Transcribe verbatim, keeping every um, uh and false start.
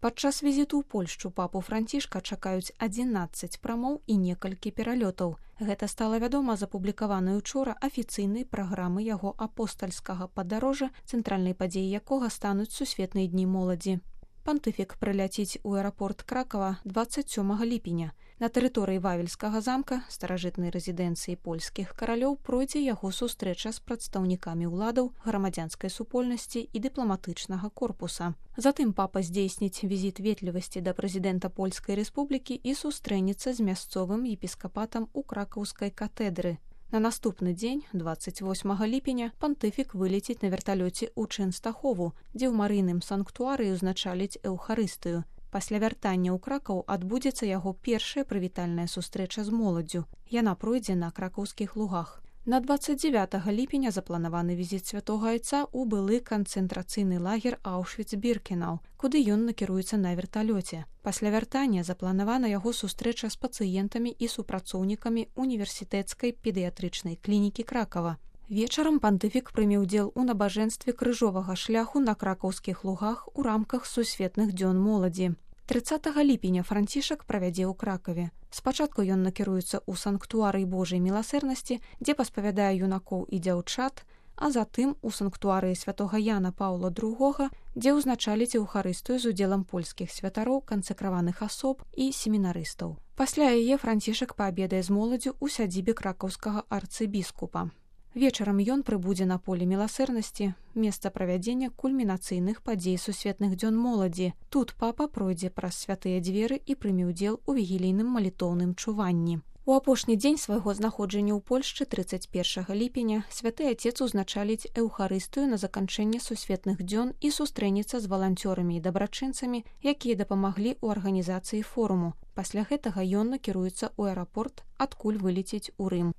Падчас візіту ў Польшчу папу Францішка чакаюць адзінаццаць прамоў і некалькі пералётаў. Гэта стала вядома з апублікаванай учора афіцыйнай праграмы яго апостальскага падарожжа, цэнтральнай падзеяй якога стануць сусветныя дні моладзі. Пантыфік прыляціць у аэрапорт Кракава дваццаць сёмага ліпеня. На тэрыторыі Вавельскага замка, старажытнай рэзідэнцыі польскіх каралёў, пройдзе яго сустрэча з прадстаўнікамі ўладаў, грамадзянскай супольнасці і дыпламатычнага корпуса. Затым папа здзейсніць візіт ветлівасці да прэзідэнта Польскай рэспублікі і сустрэнецца з мясцовым епіскапатам у кракаўскай катэдры. На наступны дзень, дваццаць восьмага ліпеня, пантыфік вылеціць на верталёце ў Чэнстахову, дзе ў марыйным санктуарыі ўзначаліць эўхарыстыю. Пасля вяртання ў Кракаў адбудзецца яго першая прывітальная сустрэча з моладдзю. Яна пройдзе на кракаўскіх лугах. На дваццаць дзевятага ліпеня запланаваны візіт святога айца ў былы канцэнтрацыйны лагер Аўшвіц-Біркенау, куды ён накіруецца на верталёце. Пасля вяртання запланавана яго сустрэча з пацыентамі і супрацоўнікамі універсітэцкай педыятрычнай клінікі Кракава. Вечарам пантыфік прыме ўдзел у набажэнстве крыжовага шляху на кракаўскіх лугах у рамках сусветных дзён моладзі. трыццатага ліпеня Францішак правядзе ў Кракаве. Спачатку ён накіруецца ў санктуарый Божай міласэрнасці, дзе паспавядае юнакоў і дзяўчат, а затым у санктуарыі святога Яна Паўла другога, дзе ўзначаліць эўхарыстыю з удзелам польскіх святароў, кансакраваных асоб і семінарыстаў. Пасля яе Францішак паабедае з моладдзю ў сядзібе кракаўскага арцыбіскупа. Вечарам ён прыбудзе на поле міласэрнасці, месца правядзення кульмінацыйных падзей сусветных дзён моладзі. Тут папа пройдзе праз святыя дзверы і прыме ўдзел у вігілійным малітоўным чуванні. У апошні дзень свайго знаходжання ў Польшчы трыццаць першага ліпеня святы айцец узначаліць эўхарыстыю на заканчэнне сусветных дзён і сустрэнецца з валанцёрамі і дабрачынцамі, якія дапамаглі ў арганізацыі форуму. Пасля гэтага ён накіруецца ў аэрапорт, адкуль вылеціць у Рым.